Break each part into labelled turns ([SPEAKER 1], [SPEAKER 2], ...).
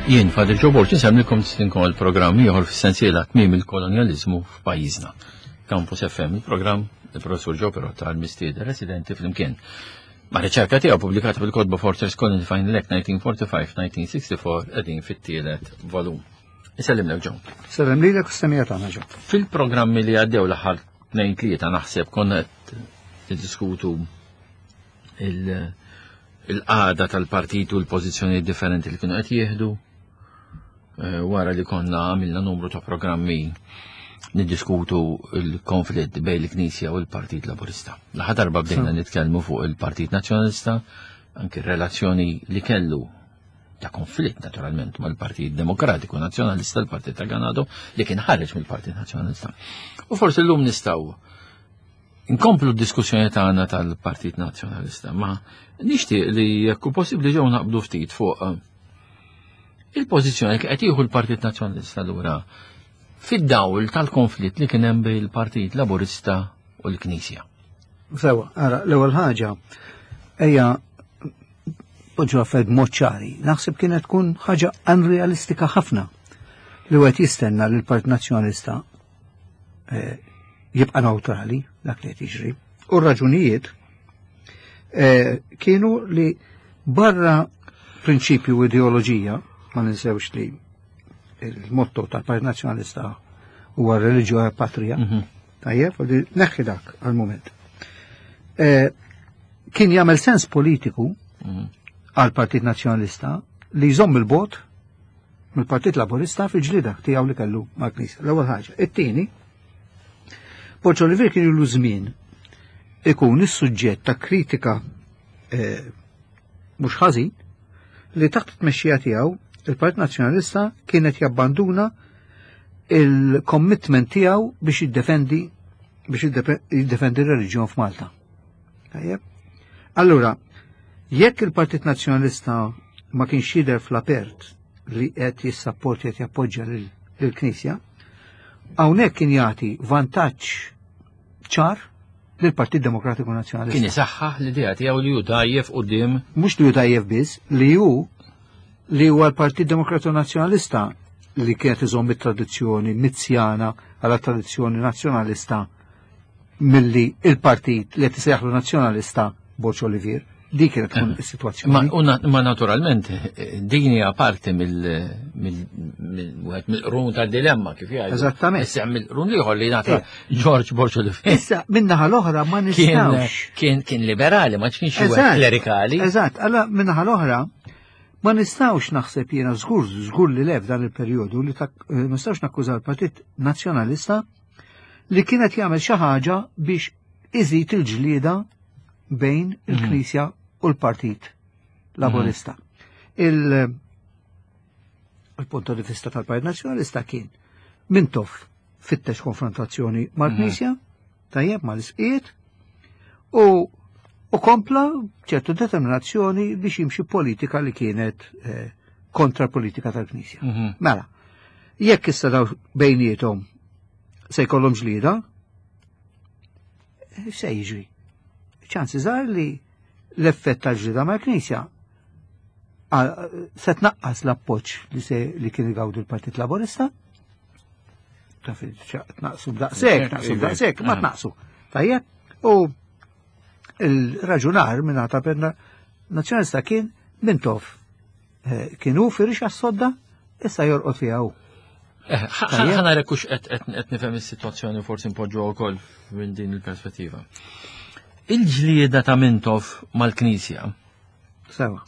[SPEAKER 1] Jien, Father Joe Borg, insemmilkom tistinkom għal-programm ieħor fis-sensiela tmiem il-kolonjaliżmu f'pajjiżna. Campus FM, il-programm il-professur Joe Perotta għal-mistieden residenti flimkien. Ma' riċerka tiegħu pubblikata fil-kotba Fortress Colony Final Act 1945-1964 qegħdin fit-tielet volum. Isellimlek Joe.
[SPEAKER 2] Sellem lilek u s-semija tagħna Joe.
[SPEAKER 1] Fil-programmi li għaddew l-aħħar tnejn tlieta naħseb konna qed niddiskutu il-qagħda tal-partit u l-pożizzjonijiet differenti li kienu qed jieħdu eh, wara li konna għamilna numru ta' programmi niddiskutu il-konflitt bejn il-Knisja u l-Partit Laburista. L-aħħar darba bdejna nitkellmu fuq il-Partit Nazzjonalista, anki r-relazzjoni li kellu ta' konflitt naturalment mal-Partit Demokratiku Nazzjonalista, l-Partit ta' Ganado, li kien ħareġ mill-Partit Nazzjonalista. U forsi llum nistgħu nkomplu d-diskussjoni tagħna tal-Partit Nazzjonalista, ma nixtieq li jekk hu possibbli ġew naqbdu ftit fuq eh, il-pożizzjoni li qed jieħu l-Partit Nazzjonalista lura fid-dawl tal-konflitt li kien hemm bejn il-Partit Laburista u l-Knisja.
[SPEAKER 2] Sewa, ara, l-ewwel ħaġa, ejja poġġu affarijiet b'mod ċari. Naħseb kienet tkun ħaġa unrealistika ħafna li wieħed jistenna li l-Partit Nazzjonalista eh, jibqa' neutrali dak li qed jiġri. U r-raġunijiet eh, kienu li barra prinċipju u ideoloġija, ma ninsewx li il-motto tal-Partit Nazzjonalista huwa reliġjo e patria. Mhm. Tajjeb, u neħħi dak għal-moment. Eh, kien jagħmel sens politiku mhm. għal-Partit Nazzjonalista li jżomm il-bot mill-Partit Laburista fil-ġlida tiegħu li kellu mal-Knisja. L-ewwel ħaġa. It-tieni, Borġ Olivier kien ilu żmien ikun is-suġġett ta' kritika eh, mhux ħażin li taħt it-tmexxija tiegħu il-Partit Nazzjonalista kienet jabbanduna il-commitment tiegħu biex jiddefendi biex jiddefendi r-reliġjon f'Malta. Tajjeb? Allura, jekk il-Partit Nazzjonalista ma kienx jidher fl-apert li qed jissapporti qed jappoġġja lill-Knisja, hawnhekk kien jagħti vantaġġ ċar lill-Partit Demokratiku Nazzjonalista.
[SPEAKER 1] Kien isaħħaħ l-idea tiegħu li hu dajjef quddiem.
[SPEAKER 2] Mhux li hu dajjef biss, li hu li huwa l-Partit Demokratiku Nazzjonalista li kienet iżomm it-tradizzjoni mizzjana għal tradizzjoni nazzjonalista milli il-partit li qed isejjaħlu nazzjonalista Borġ Olivier. Dik kienet tkun eh. is-sitwazzjoni.
[SPEAKER 1] Ma naturalment eh, din hija parti mill-wieħed mill-qrun tad-dilemma kif jgħidu.
[SPEAKER 2] Eżattament.
[SPEAKER 1] Issa mill-qrun ieħor li nagħti eh. George Borġ Olivier.
[SPEAKER 2] Issa min-naħa l-oħra ma nistgħux.
[SPEAKER 1] Kien kien liberali, ma kienx klerikali.
[SPEAKER 2] Eżatt, alla min-naħa l-oħra ma nistgħux naħseb jiena żgur żgur li lef dan il-perjodu li ma nistgħux nakkuża l-Partit Nazzjonalista li kienet jagħmel xi ħaġa biex iżid il-ġlieda bejn mhm. il-Knisja u l-Partit Laburista. Mhm. Il-punto di vista tal-Partit Nazzjonalista kien Mintoff fittex konfrontazzjoni mal-Knisja, mhm. tajjeb mal-isqiet, u u kompla ċertu determinazzjoni biex jimxi politika li kienet eh, kontra politika tal-Knisja. Mela, jekk issa daw bejnietom se jkollhom ġlieda, se jiġri? Ċansi żgħar li l-effett tal-ġlida mal-Knisja se tnaqqas l-appoġġ li se li kien igawdu l-Partit Laburista. Taf tnaqsu b'daqshekk, tnaqsu b'daqshekk, ma tnaqsu. Tajjeb, u il-raġunar minn ta' perna nazzjonalista kien Mintoff Eh, kien hu firix għas-sodda, issa jorqod fiha hu.
[SPEAKER 1] Eh, ħana rekux qed nifhem is-sitwazzjoni forsi npoġġu wkoll minn din il-perspettiva. Il-ġlieda ta' Mintoff mal-Knisja.
[SPEAKER 2] Sewa.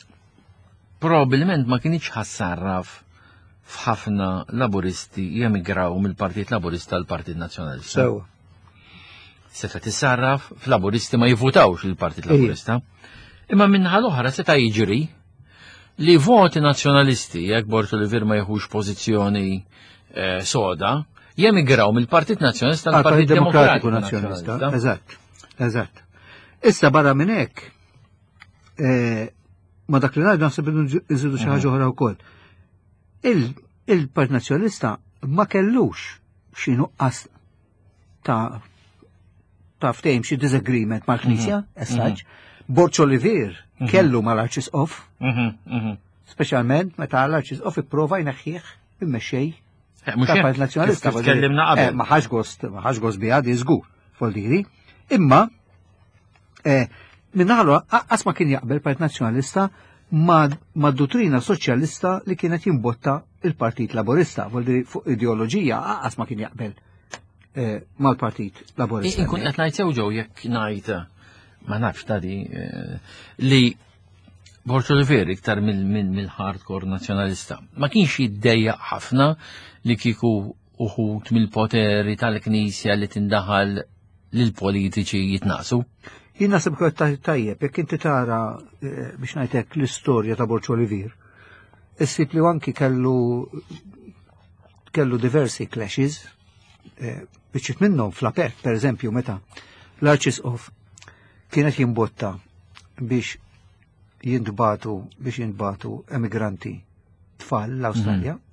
[SPEAKER 1] Probabilment ma kienx ħassarraf f'ħafna laburisti jemigraw mill-Partit Laburista l partit Nazzjonalista.
[SPEAKER 2] Sewa.
[SPEAKER 1] Seta tissarraf f'laburisti ma jivvutawx il-Partit Laburista. Imma minnaħa l-oħra seta jiġri li voti nazzjonalisti jekk Borg Olivier ma jieħux pożizzjoni eh, soda, jemigraw mill-Partit Nazzjonalista
[SPEAKER 2] l-Partit Demokratiku Nazzjonalista. Eżatt, eżatt. Issa barra minn hekk, eh, ma dak li ngħidu naħseb iżidu xi ħaġa oħra wkoll. Il-Partit Nazzjonalista ma kellux xi nuqqas ta' ta' ftehim xi disagreement mal-Knisja, mhm. as such. Mhm. Borċ Olivier mhm. kellu mal-Arċisqof. Speċjalment meta l-Arċisqof ipprova jneħħih immexxej
[SPEAKER 1] eh, mhux
[SPEAKER 2] tal-Partit Nazzjonalista.
[SPEAKER 1] Tkellimna qabel.
[SPEAKER 2] Eh, ma ħax gost, ma ħax gost biha di żgur, voldiri. Imma eh, minnaħlu qas ma kien jaqbel Partit Nazzjonalista ma' dottrina soċjalista li kienet jimbotta il-Partit Laburista, voldiri fuq ideoloġija qas ma kien jaqbel mal-Partit Laburista.
[SPEAKER 1] Inkun qed ngħid sew ġew jekk ngħid ma nafx tadi li Borg Olivier iktar mill-hardcore nazzjonalista. Ma kienx jiddejjaq ħafna li kieku uħut mill-poteri tal-Knisja li tindaħal lill-politiċi jitnaqsu.
[SPEAKER 2] Jien naħseb kont tajjeb, jekk inti tara eh, biex ngħidlek l-istorja ta' Borg Olivier, issib li anki kellu kellu diversi clashes, eh, biċċiet minnhom fl-apert, per eżempju, meta l-Arċisqof kienet jimbotta biex jintbatu biex jintbatu emigranti tfal l-Awstralja. Mm -hmm.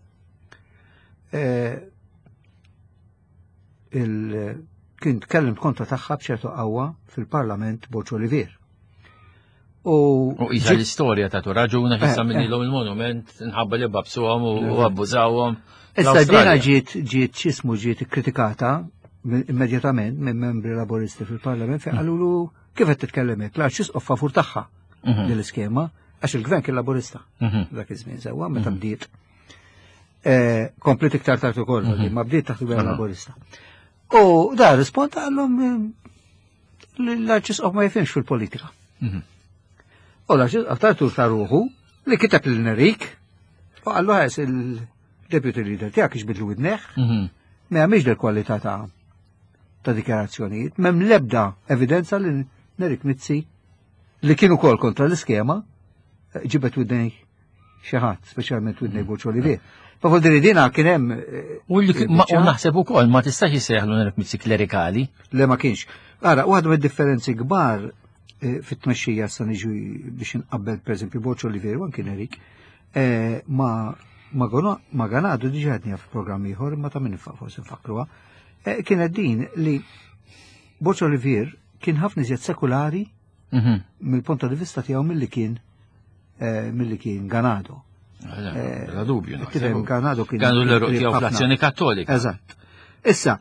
[SPEAKER 2] il kien tkellem kontra tagħha b'ċertu qawwa fil-Parlament Borġ Olivier.
[SPEAKER 1] U isa l-istorja ta' raġuna xissa eh, minnilhom eh. il-monument nħabba li babsuhom u abbużawhom.
[SPEAKER 2] Issa dina ġiet ġiet x'ismu ġiet ikkritikata immedjatament minn membri laboristi fil-Parlament fejn qalulu kif qed titkellem hekk l-arċisqof favur tagħha mhm. din l-iskema għax il-gvern kien laburista mhm. dak iż-żmien sewwa meta mhm. bdiet. Eh, komplit iktar tard ukoll, ma bdiet taħt il-gvern laburista. U da risponda għallhom eh, l-arċisqof ma jifhimx fil-politika. U l-arċisqof tartu ta' ruħu li kiteb lil Nerik u qallu ħes il-deputy leader tiegħek ixbidlu widneħ, ma jagħmilx del kwalità ta' ta' dikjarazzjonijiet, m'hemm l-ebda evidenza li Nerik Mizzi li kien ukoll kontra l-iskema ġibet widnej xi ħadd, speċjalment widnej mm. Borġ Olivier. Ma vuol dire dina kien hemm. Eh,
[SPEAKER 1] u naħseb ukoll ma tistax jissejħlu Nerik Mizzi klerikali.
[SPEAKER 2] Le ma kienx. Ara, waħda mid-differenzi kbar eh, fit-tmexxija sa niġu biex inqabbel pereżempju Borġ Olivier u anki Nerik eh, ma ma Ganadu diġa għedni f'programm ieħor imma ta' min forsi nfakruha. Eh, kienet din li Borġ Olivier kien ħafna iżjed sekulari mhm. mill-punt di vista tiegħu milli kien eh, milli kien Ganado.
[SPEAKER 1] Eh, la dubju.
[SPEAKER 2] Tifhem Ganado kien.
[SPEAKER 1] Ganado l-eruq tiegħu fl-azzjoni kattolika.
[SPEAKER 2] Eżatt. Issa,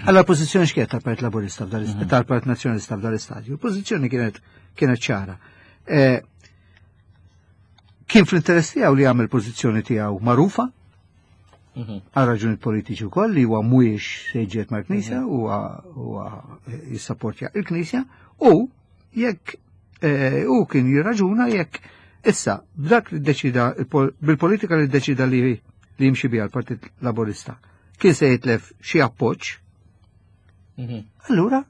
[SPEAKER 2] għalla pożizzjoni x'kienet tal-Partit Laburista mhm. tal-Partit Nazzjonalista f'dal istadju? Pożizzjoni kienet kienet ċara. Kien fl-interess tiegħu li jagħmel pożizzjoni tiegħu magħrufa, mhm. għal raġuni politiċi wkoll li huwa mhuwiex se jġiet mal-Knisja, mhm. huwa jissapportja il-Knisja u jekk eh, u kien jirraġuna jekk issa b'dak li ddeċida bil-politika li ddeċida li li jimxi biha l-Partit Laburista kien se jitlef xi appoġġ. Mhm. Allura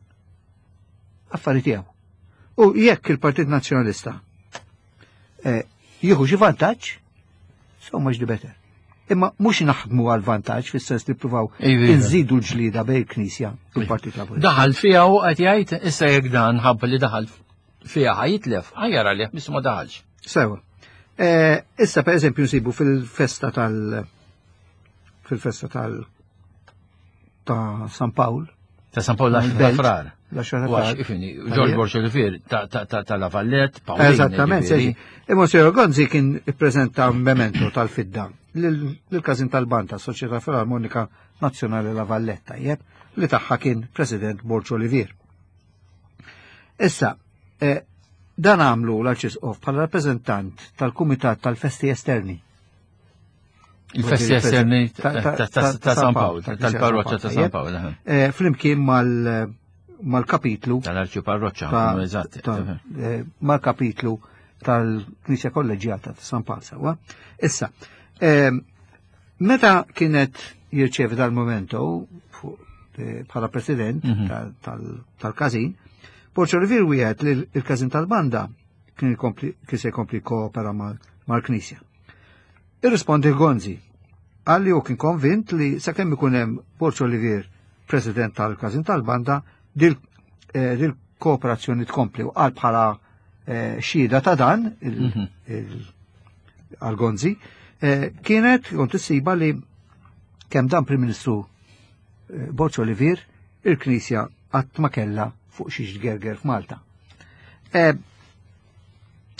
[SPEAKER 2] affari tiegħu. U jekk il-Partit Nazzjonalista eh, jieħu xi vantaġġ, so much the better. Imma mhux naħdmu għal vantaġġ fis-sens li ppruvaw inżidu l-ġlieda bejn il-Knisja u l-Partit Laburista.
[SPEAKER 1] Daħal fiha u qed jgħid issa jekk dan ħabba li daħal fiha ħajitlef, ħajjar għalih biss ma daħalx.
[SPEAKER 2] Sewa. Eh, issa per eżempju nsibu fil-festa tal fil-festa tal ta' San Pawl.
[SPEAKER 1] Ta' San Pawl l frar.
[SPEAKER 2] L-10
[SPEAKER 1] Ifini, Ġorġ Borġ Olivier ta' La Vallet, Pawl.
[SPEAKER 2] Eżattament, seġi. Imma Sir Gonzi kien ippreżenta memento tal-fidda lill-Każin tal-Banda, Soċjetà Filarmonika Nazzjonali La Valletta, jeb, li tagħha kien President Borġ Olivier. Issa, eh, dan għamlu l-Arċisqof bħala rappreżentant tal-Kumitat tal-Festi Esterni.
[SPEAKER 1] Il-festi esterni ta' San Pawl, tal-parroċċa ta' San Pawl.
[SPEAKER 2] Eh, flimkien mal-kapitlu.
[SPEAKER 1] Tal-arċi parroċċa, eżatt.
[SPEAKER 2] Eh, mal-kapitlu tal-Knisja Kolleġjata ta' San Pawl sewa. Issa, eh, meta kienet jirċevi dal-momento bħala president mhm. tal-każin, Porċo Rivir wieħed li l-każin tal-banda kien se jkompli koopera mal-Knisja. Irrispondi Gonzi. Qal li hu kien konvint li sakemm ikun hemm Borg Olivier President tal-Każin tal-Banda dil-kooperazzjoni eh, tkompli u qal bħala eh, xhieda ta' dan mhm. għal Gonzi eh, kienet kont issiba li kemm dan Prim Ministru Borg Olivier il-Knisja qatt ma kellha fuq xiex tgerger f'Malta.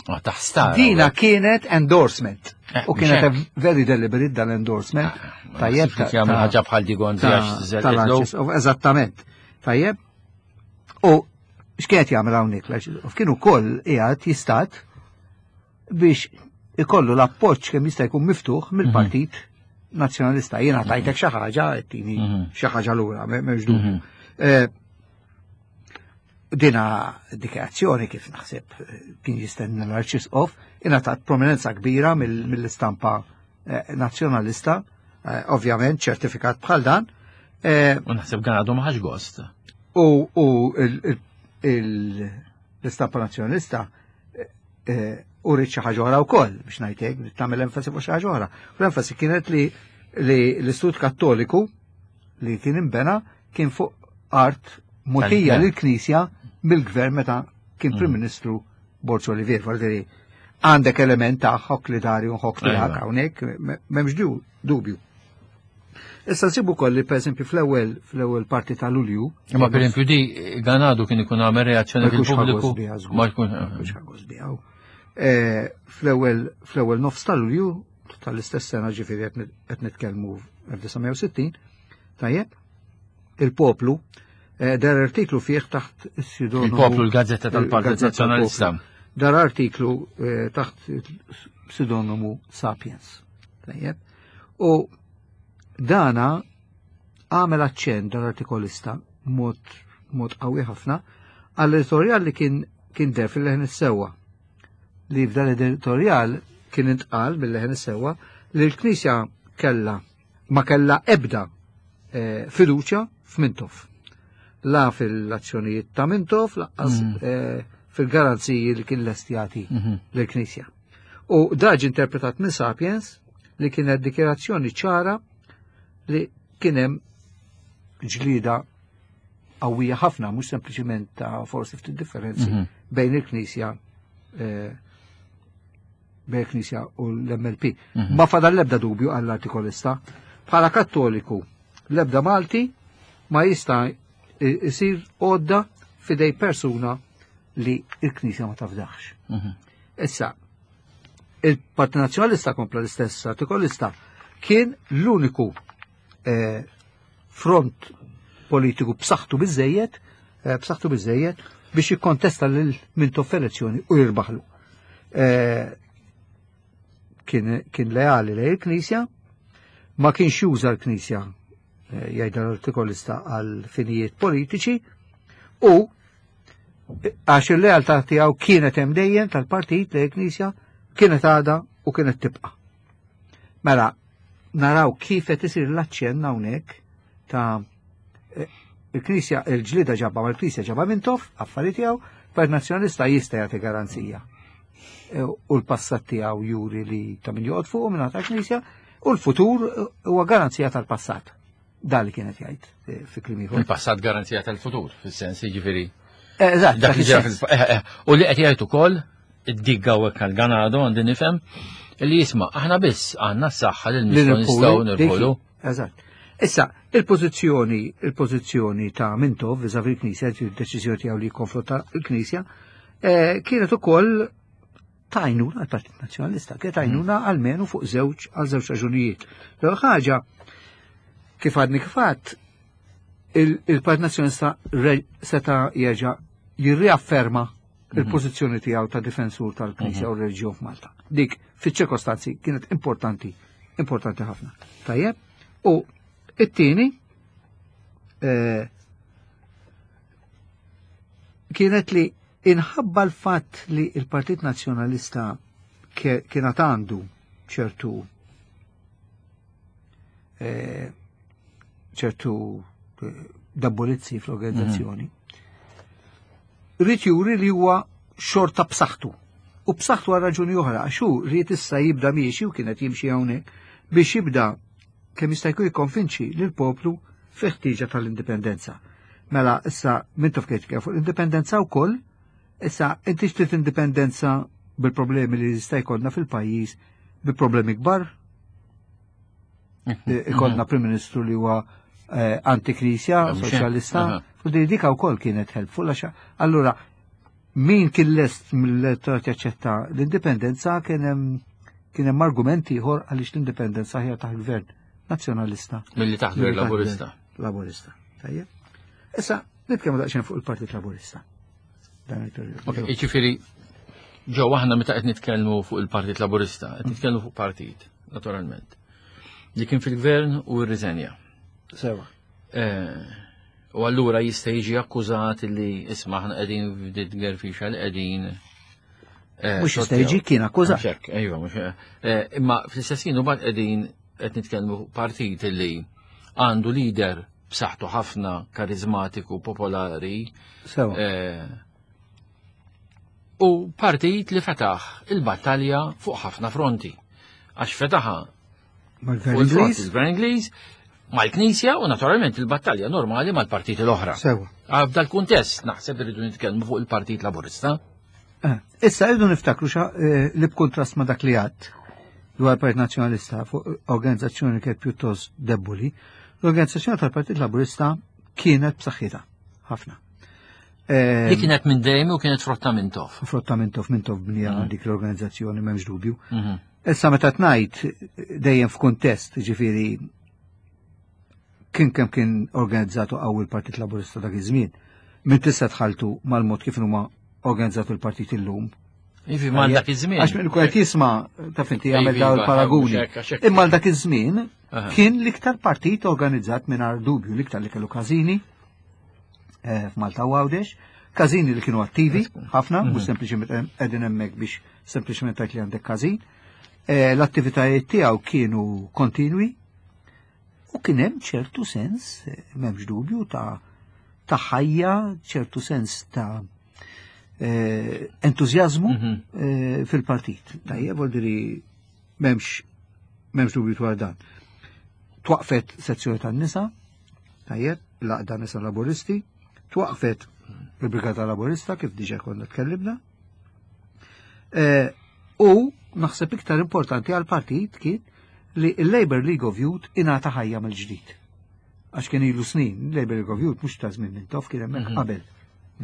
[SPEAKER 1] Ah, taħstar.
[SPEAKER 2] Dina kienet endorsement.
[SPEAKER 1] Eh,
[SPEAKER 2] U kienet
[SPEAKER 1] mhux hekk.
[SPEAKER 2] a very deliberate dal-endorsement.
[SPEAKER 1] Ah,
[SPEAKER 2] Tajjeb
[SPEAKER 1] ta' jagħmel ħaġa bħal di Gonzi għax żelqitlu.
[SPEAKER 2] tal-Arċisqof, eżattament. Tajjeb. U x'kienet jagħmel hawnhekk l-Arċisqof? Kien ukoll qiegħed jistat biex ikollu l-appoġġ kemm jista' jkun miftuħ mill-Partit Nazzjonalista. Jiena tajtek xi ħaġa, tini xi ħaġa lura, m'hemmx dubju. Dina dikjarazzjoni kif naħseb kien jistenna l-Arċisqof ingħatat prominenza kbira mill-istampa nazzjonalista, ovvjament ċertifikat bħal dan.
[SPEAKER 1] U naħseb Ganado ma ħax gost.
[SPEAKER 2] U l-istampa nazzjonalista u rrid xi ħaġa oħra wkoll biex ngħidlek, tagħmel enfasi fuq xi ħaġa oħra. U l-enfasi kienet li l-Istitut Kattoliku li kien imbena kien fuq art mogħtija
[SPEAKER 1] Tal-gvern.
[SPEAKER 2] lill-Knisja mill-gvern meta kien Prim Ministru Borg Olivier. Vuol għandek element ta' ħok li dari u ħok tiegħek hawnhekk, m'hemmx dubju. Issa nsibu kolli, per eżempju, fl-ewwel parti ta' Lulju.
[SPEAKER 1] Imma per eżempju di Ganado kien ikun għamel reazzjoni
[SPEAKER 2] Ma jkunx
[SPEAKER 1] fil-pubbliku.
[SPEAKER 2] ħa gost biha, żgur.
[SPEAKER 1] Ma jkun.
[SPEAKER 2] Ma jkunx ħa gost biha. Fl-ewwel nofs ta' Lulju tal-istess sena, ġifieri qed nitkellmu 1960, tajjeb, il-poplu dar artiklu fih taħt is-pseudonimu
[SPEAKER 1] Il-poplu, l-Gazzetta tal-Partit
[SPEAKER 2] il-Gazzetta
[SPEAKER 1] Nazzjonalista.
[SPEAKER 2] tal-Poplu. Dar artiklu taħt pseudonimu Sapiens. Tajjeb. U dana għamel aċċenn dal-artikolista mod qawwi ħafna għall-editorjal li kien der fil-Leħen is-Sewwa. Li f'dan l-editorjal kien intqal mill-Leħen is-Sewwa li l-Knisja ma kella ebda fiduċja f'Mintoff. La fil-azzjonijiet ta' Mintoff, laqqas fil-garanziji li kien lest jagħti lill-Knisja. U daġ interpretat minn Sapiens li kienet dikjerazzjoni ċara li kien hemm ġlida qawwija ħafna, mhux sempliċiment ta' forsi ftit differenzi bejn il-Knisja u l-MLP. Ma fadal l-ebda dubju għall-artikolista. Bħala Kattoliku, l-ebda Malti ma jista' isir għodda fidej persuna li il-Knisja ma tafdax. Issa, il-Partit Nazzjonalista kompla l-istess artikolista kien l-uniku front politiku b'saħħtu biżejjed biex jikkontesta lil Mintoff f'elezzjoni u jirbaħlu. Kien leali lejn il-Knisja, ma kienx juża l-Knisja jgħid l-artikolista għal finijiet politiċi, u għax il-lealtà tiegħu kienet hemm dejjem tal-partit lejn il-Knisja, kienet għadha u kienet tibqa'. Mela, naraw kif qed isir l-aċċenn hawnhekk ta' il-Knisja, il-ġlida ġabba mal-Knisja ġabba Mintoff, affari tiegħu, Partit Nazzjonalista jista' jagħti garanzija. U l-passat tiegħu juri li ta' min joqgħod fuq minn ta' Knisja, u l-futur huwa garanzija tal-passat. Dan li kienet jgħid fi kliem ieħor.
[SPEAKER 1] Il-passat garanzija tal-futur, fis-sens jiġifieri.
[SPEAKER 2] Eżatt,
[SPEAKER 1] Dak li
[SPEAKER 2] dak
[SPEAKER 1] ġara
[SPEAKER 2] is-sens.
[SPEAKER 1] fil- u li qed jgħid ukoll id-digga u hekk għal-Ganado għandi nifhem li jisma' aħna biss għandna s-saħħa li
[SPEAKER 2] Li
[SPEAKER 1] nistgħu nistgħu
[SPEAKER 2] nirpulu,
[SPEAKER 1] nirpulu.
[SPEAKER 2] dik, eżatt. Issa, il-pożizzjoni ta' Mintoff vis-à-vis il-Knisja, il-deċiżjoni tiegħu li jikkonfronta l-Knisja, kienet ukoll tajnuna għall-Partit Nazzjonalista, kienet tajnuna almenu fuq żewġ għal żewġ raġunijiet. L-ewwel ħaġa, kif għadni kif għadt, il-Partit Nazzjonalista seta' jerġa' jirriafferma il-pożizzjoni tiegħu ta' difensur tal-Knisja u r-reliġjon f'Malta. Dik fiċ-ċirkostanzi kienet importanti, importanti ħafna. Tajjeb, u it-tieni kienet li inħabba l-fatt li il-Partit Nazzjonalista kienet għandu ċertu debolizzi fl-organizzazzjoni. Ried juri li huwa xorta b'saħħtu. U b'saħħtu għal raġuni oħra, għax hu ried issa jibda miexi u kienet jimxi hawnhekk biex jibda kemm jista' jkun jikkonvinċi lill-poplu fi ħtieġa tal-indipendenza. Mela issa Mintoff kien jitkellem fuq l-indipendenza wkoll, issa inti xtrid indipendenza bil-problemi li jista' jkollna fil-pajjiż, bi problemi kbar. Ikollna Prim Ministru li huwa antiknisja,
[SPEAKER 1] Mhux hekk.
[SPEAKER 2] soċjalista, u di dika wkoll kienet helpful għax allura Min kien lest mill-elettorat jaċċetta l-indipendenza kien hemm kien hemm argument ieħor għaliex l-indipendenza ħjar taħt gvern nazzjonalista.
[SPEAKER 1] Milli taħt gvern laburista.
[SPEAKER 2] Laburista. Tajjeb. Issa nitkellmu daqsxejn fuq il-Partit Laburista. Dan il-perjodu.
[SPEAKER 1] Ok, jiġifieri ġew aħna meta qed nitkellmu fuq il-Partit Laburista, qed nitkellmu fuq partit, naturalment. Li kien fil-gvern u rriżenja.
[SPEAKER 2] Sewa.
[SPEAKER 1] Eh, u allura jista' jiġi akkużat li isma' aħna qegħdin f'dit gerfixa li qegħdin
[SPEAKER 2] eh, Mhux jista' jiġi kien akkużat.
[SPEAKER 1] Hekk, ejwa, mhux eh, imma fl-istess ħin imbagħad qegħdin qed nitkellmu fuq partit li għandu leader b'saħħtu ħafna karizmatiku, popolari.
[SPEAKER 2] Sewa.
[SPEAKER 1] U partit li fetaħ il-battalja fuq ħafna fronti. Għax fetaħa
[SPEAKER 2] Mal-Gvern Ingliż.
[SPEAKER 1] Il-Gvern Ingliż, mal-Knisja u naturalment il-battalja normali mal-partiti l-oħra.
[SPEAKER 2] Sewa.
[SPEAKER 1] F'dal kuntest naħseb irridu nitkellmu fuq il-Partit Laburista.
[SPEAKER 2] Eh, issa irridu niftakru xa eh, li b'kuntrast ma' dak li għadd dwar il-Partit Nazzjonalista fuq organizzazzjoni kienet pjuttost debboli, l-organizzazzjoni tal-Partit Laburista kienet b'saħħitha ħafna.
[SPEAKER 1] Eh, li kienet minn dejjem u kienet frotta minn tof.
[SPEAKER 2] Frotta minn tof, minn tof bnija mhm. dik l-organizzazzjoni m'hemmx dubju. Mhm. Issa meta tnajt dejjem f'kuntest, ġifieri kien kemm kien organizzatu qawwi l-Partit Laburista dak iż-żmien, minn tista' tħaltu mal-mod kif huma organizzatu l-partit illum.
[SPEAKER 1] Ivi ma dak iż-żmien.
[SPEAKER 2] Għax minn qed jisma' taf inti jagħmel dawn
[SPEAKER 1] iva,
[SPEAKER 2] il-paraguni. Imma dak iż-żmien kien l-iktar partit organizzat mingħajr dubju, l-iktar li kellu każini, eh, f'Malta u Għawdex, każini li kienu attivi ħafna, mhux mhm. sempliċement qegħdin hemmhekk biex sempliċement tgħid li għandek każin. Eh, l-attivitajiet tiegħu kienu kontinwi u kien hemm ċertu sens, eh, m'hemmx dubju, ta' ta' ħajja, ċertu sens ta' entużjażmu mhm. fil-partit. Tajjeb, vuol diri m'hemmx m'hemmx dubju dwar dan. Twaqfet sezzjoni tan-nisa, Tajjeb, l-Għaqda Nisa Laburisti, twaqfet il-Brigata Laburista kif diġa konna tkellimna. E, u naħseb iktar importanti għal partit kien li il-Labour League of Youth ingħata ħajja mill-ġdid. Għax kien ilu snin, Labour League of Youth mhux ta' żmien Mintoff, kien hemmhekk mhm. qabel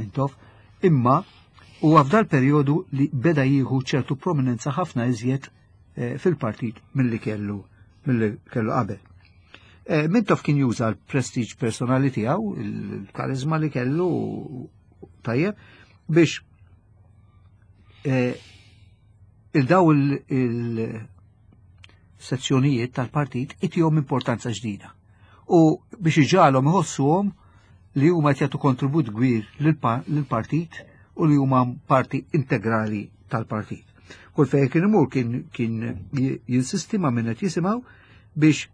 [SPEAKER 2] Mintoff, imma huwa f'dal perjodu li beda jieħu ċertu prominenza ħafna iżjed eh, fil-partit milli kellu milli kellu qabel. Eh, Mintoff kien juża l-prestiġ personali tiegħu, il-karizma li kellu tajjeb, biex eh, il-daw il-sezzjonijiet tal-partit itihom importanza ġdida. U biex iġalhom iħossuhom li huma qed jagħtu kontribut kbir lill-partit u li huma parti integrali tal-partit. Kull fejn kien imur kien kien jinsisti ma' min qed jisimgħu biex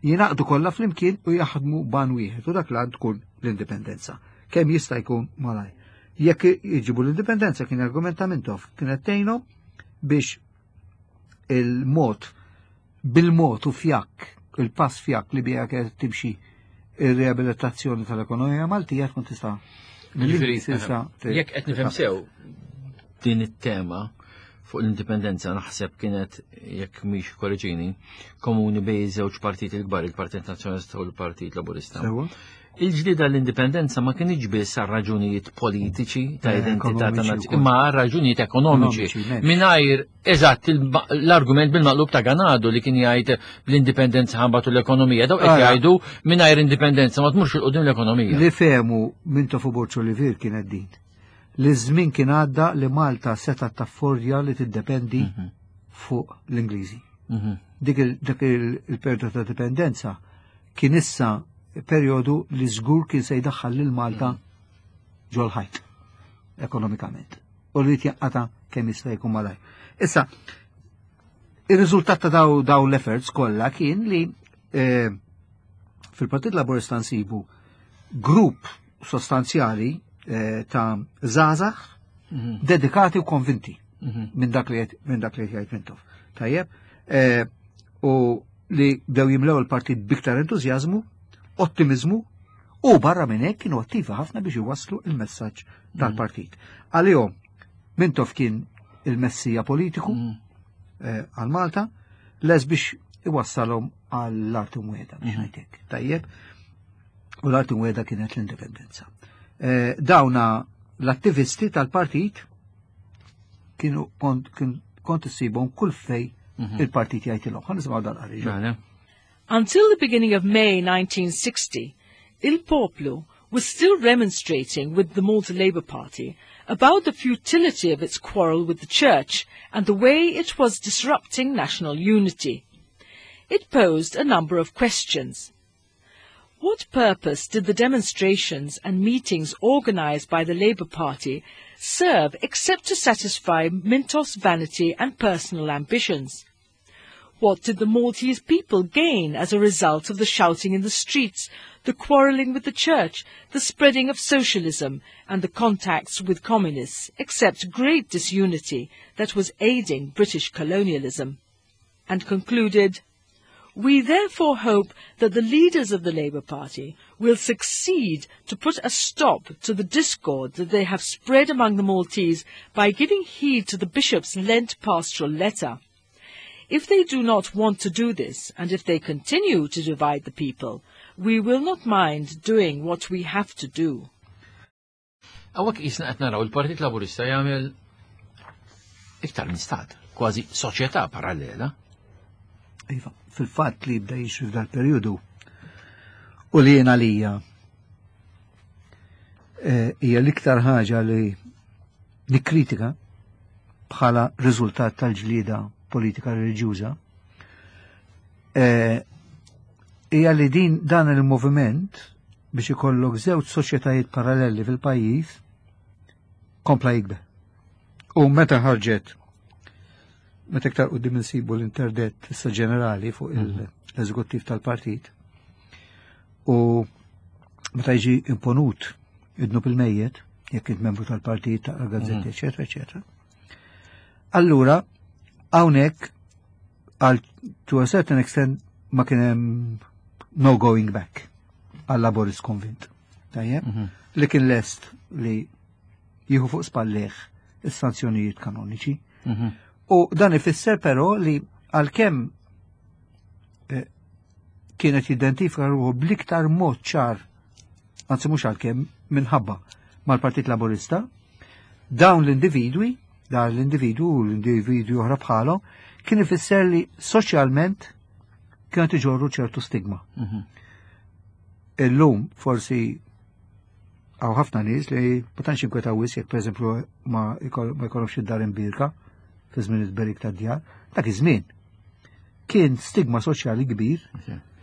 [SPEAKER 2] jingħaqdu kollha flimkien u jaħdmu ban wieħed u dak l tkun l-indipendenza. Kemm jista' jkun malaj. Jekk jġibu l-indipendenza kien argumenta Mintoff kienet tgħinhom biex il-mod bil-mod u fjakk, il-pass fjak li bija kienet timxi ir-riabilitazzjoni tal-ekonomija Maltija tkun tista'
[SPEAKER 1] Jiġifieri, jekk qed nifhem sew din it-tema fuq l-indipendenza naħseb kienet jekk mhix korreġini komuni bej żewġ partiti l-kbar, il-Partit Nazzjonalista u l-Partit Laburista. Il-ġlida l-indipendenza ma kienx biss għal raġunijiet politiċi ta' eh, identità ta' nazzjoni, imma għal raġunijiet ekonomiċi. Mingħajr eżatt l-argument bil-maqlub ta' Ganado li kien jgħid bl-indipendenza ħambatu l-ekonomija, daw qed jgħidu mingħajr indipendenza ma tmurx il-qudiem l-ekonomija.
[SPEAKER 2] Li fehmu minn Tofu Borċo li vir kienet din. Li żmien kien għadda li Malta seta' taffordja li tiddependi mhm. fuq l-Ingliżi. Mhm. Dik il-periodu ta' dipendenza kien issa perjodu li żgur kien se jdaħħal lil Malta ġol-ħajt ekonomikament u li tjaqqata kemm jista' jkun malaj. Issa, ir-riżultat ta' daw daw l-efforts kollha kien li eh, fil-Partit Laburista nsibu grupp sostanzjali eh, ta' żgħażagħ mhm. dedikati u konvinti mhm. minn dak li minn dak li jgħid Mintoff. Tajjeb, eh, u li bdew jimlew il-partit biktar entużjażmu, ottimizmu u barra minn hekk kienu attivi ħafna biex iwasslu il-messaġġ mhm. tal-partit. Għalihom Mintoff kien il-messija politiku eh, għal Malta, les biex iwassalhom għall-art imwiegħda biex ngħidlek. Tajjeb, u l-art imwiegħda kienet l-indipendenza. Eh, dawna L-attivisti tal-partit kienu kont kont issibhom kull fej mhm. il-partit jgħidilhom. Ħa nisimgħu dan qari. Mela.
[SPEAKER 3] Until the beginning of May 1960, Il Popolo was still remonstrating with the Malta Labour Party about the futility of its quarrel with the Church and the way it was disrupting national unity. It posed a number of questions. What purpose did the demonstrations and meetings organized by the Labour Party serve except to satisfy Mintoff's vanity and personal ambitions? What did the Maltese people gain as a result of the shouting in the streets, the quarrelling with the church, the spreading of socialism, and the contacts with communists, except great disunity that was aiding British colonialism? And concluded, We therefore hope that the leaders of the Labour Party will succeed to put a stop to the discord that they have spread among the Maltese by giving heed to the Bishop's Lent pastoral letter. If they do not want to do this, and if they continue to divide the people, we will not mind doing what we have to do.
[SPEAKER 1] Hawnhekk qisna qed naraw il-Partit Laburista jagħmel iktar minn stat, kważi soċjetà parallela.
[SPEAKER 2] Iva, fil-fatt li jibda jixri f'dal periodu u li jien għalija eh, hija l-iktar ħaġa li nikkritika bħala riżultat tal-ġlieda politika reliġjuża eh, hija li din dan il-moviment biex ikollok żewġ soċjetajiet paralleli fil-pajjiż kompla jikber. U meta ħarġet meta iktar qudiem insibu l-interdett issa ġenerali fuq mhm. l-eżekuttiv tal-partit u meta jiġi imponut id-dnub il-mejjet, jekk int membru tal-partit, taqra gazzetti, mhm. eċetera, eċetera. Allura, hawnhekk għal to a certain extent ma kien hemm no going back għal Laborist konvint. Tajjeb? Mhm. Li kien lest li jieħu fuq spallih is-sanzjonijiet kanoniċi. Mhm. U dan ifisser però li għalkemm eh, kienet jidentifika ruħu bl-iktar mod ċar, anzi mhux għalkemm minħabba mal-Partit Laburista, dawn l-individwi, dan l-individwu u l-individwi oħra bħalu, kien ifisser li soċjalment kienet iġorru ċertu stigma. Mhm. Illum forsi għaw ħafna nies li ma tantx inkwetaw wis jekk pereżempju ma jkollhomx id-dar imbirka fi żmien it-berik tad-djar, dak iż-żmien kien stigma soċjali kbir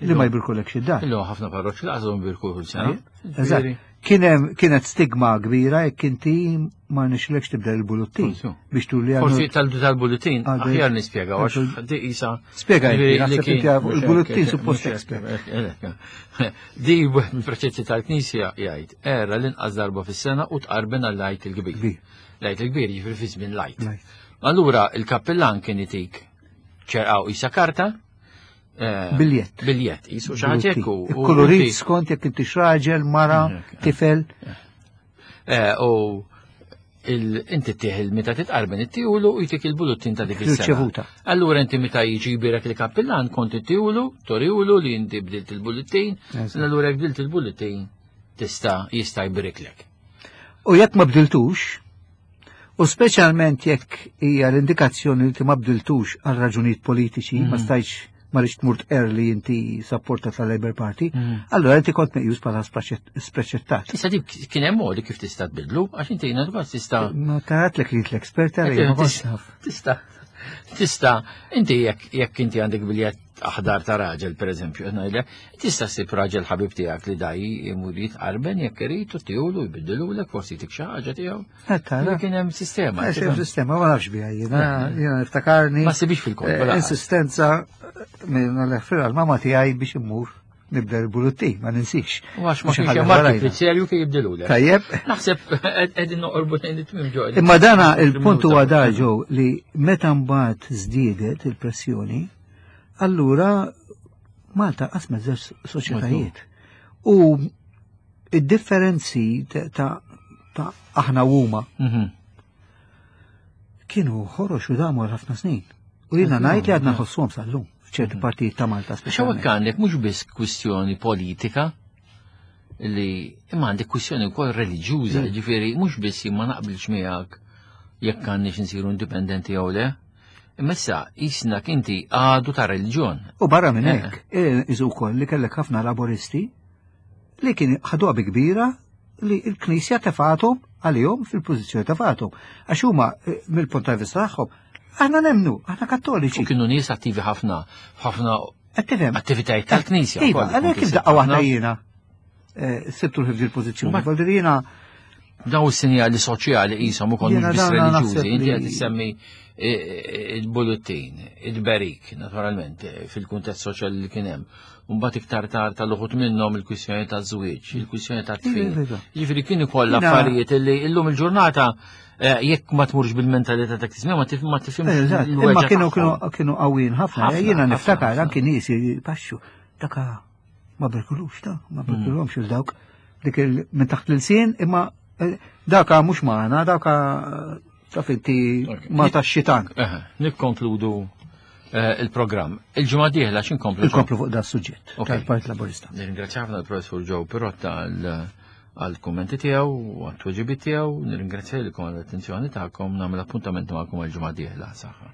[SPEAKER 2] li ma jbirkulekx id-dar.
[SPEAKER 1] Illum ħafna parroċċi laqas birku kull sena.
[SPEAKER 2] Eżatt. Kien hemm kienet stigma kbira jekk inti ma nixlekx tibda il-buluttin biex turi
[SPEAKER 1] għal. Forsi tal-buluttin aħjar nispjega għax di isa.
[SPEAKER 2] Spjega il-buluttin suppost
[SPEAKER 1] espert. Di wieħed mill-preċetti tal-Knisja jgħid era l-inqas darba fis-sena u tqarben għall-Għid il-Kbir. L-Għid il-Kbir jiġifieri fi żmien l-Għid. Allura il-kappillan kien itik ċerqaw isa karta
[SPEAKER 2] Eh, biljett.
[SPEAKER 1] Biljett, jisu xaħġa
[SPEAKER 2] u. Kolorit skont jekk inti raġel, mara, tifel.
[SPEAKER 1] Eh, u inti tieħ il-meta titqarben it-tiwlu u jtik il-buluttin ta' dik
[SPEAKER 2] is-sena.
[SPEAKER 1] Allura inti meta jiġi jbirek il-kappillan kont it-tiwlu, toriwlu li inti bdilt il-buluttin, allura jekk bdilt il-buluttin tista' jista' jbiriklek.
[SPEAKER 2] U jekk ma bdiltux, U speċjalment jekk hija l-indikazzjoni li ma bdiltux għal raġunijiet politiċi, ma mhm. stajtx ma rridx tmur tqer li inti sapporta tal-Labour Party, mhm. allura inti kont meqjus bħala spreċettat.
[SPEAKER 1] Issa dik kien hemm modi kif tista' tbidlu, għax inti jiena dwar tista'
[SPEAKER 2] Ma taratlek li l-expert ma
[SPEAKER 1] Tista' tista' inti jekk inti għandek biljett aħdar ta' raġel, per eżempju, ngħidlek, tista' ssib raġel ħabib tiegħek li daj imur jitqarben jekk irid u tiegħu jbiddilulek forsi tik xi ħaġa tiegħu. Kien hemm sistema.
[SPEAKER 2] Hemm sistema, ma nafx biha jiena, jiena niftakarni.
[SPEAKER 1] Ma sibix fil-kont.
[SPEAKER 2] Eh, insistenza minn l-ħfir għal-mama tiegħi biex immur nibda l-bulutti, ma ninsix.
[SPEAKER 1] U għax ma kienx hemm marki fizzerju kif jibdilulek.
[SPEAKER 2] Tajjeb.
[SPEAKER 1] Naħseb qegħdin noqorbu lejn it-tmiem ġo.
[SPEAKER 2] Imma dana il-punt huwa da ġew li meta mbagħad żdiedet il-pressjoni, allura Malta qasmet żewġ soċjetajiet. U id-differenzi ta' aħna u huma mhm. kienu ħorox u damu għal ħafna snin. U jiena ngħid li għadna ħossuhom sal-lum f'ċerti mhm. partijiet ta' Malta.
[SPEAKER 1] X'hawnhekk għandek mhux biss kwistjoni politika. Li imma għandek kwistjoni wkoll reliġjuża, mm. ġifieri mhux biss ma naqbilx miegħek jekk għandniex nsiru indipendenti jew le. Imma issa jisnak inti għadu ta' reliġjon.
[SPEAKER 2] U barra minn eh. hekk, eh, iżu wkoll li kellek ħafna laboristi li kien ħaduha bi kbira li l-Knisja tefathom għalihom fil-pożizzjoni tefathom. Għax huma eh, mill-punt ta' vista tagħhom, aħna nemnu, aħna kattoliċi.
[SPEAKER 1] U kienu nies attivi ħafna, ħafna attivitajiet tal-Knisja.
[SPEAKER 2] Iva, għalhekk kif daqqa waħda jiena eh, sibtu l-ħifdi l-pożizzjoni. Voldir jiena
[SPEAKER 1] daw is-sinjali soċjali qishom ukoll mhux biss reliġjużi, inti qed issemmi eh, eh, il-bullettin, il-berik, naturalment, fil-kuntest soċjali li kien hemm. Mbagħad iktar tard tal-uħut minnhom il-kwistjoni ta' żwieġ, il-kwistjoni ta' tfil. Jiġifieri kienu kollha affarijiet li llum il-ġurnata eh, jekk ma tmurx bil-mentalità ta' kismija ma tifhimx.
[SPEAKER 2] Imma kienu kienu qawwin ħafna, jiena niftakar anki nies jipaxxu daka ma berkulux ta' ma mm. berkulhomx il dawk dik minn taħt l-ilsien imma eh, daka mhux magħna, daka taf inti ma tax-xitan.
[SPEAKER 1] Nikkonkludu Eh, il-programm. Il-ġimgħa dieħla x'inkomplu?
[SPEAKER 2] Inkomplu fuq da suġġett tal-Partit Laburista.
[SPEAKER 1] Nirringrazzja ħafna l-Professur Joe Pirotta għall-kummenti tiegħu u għat-tweġibiet tiegħu. Nirringrazzja lilkom għall-attenzjoni tagħkom nagħmel appuntament magħkom għall-ġimgħa dieħla. Saħħa.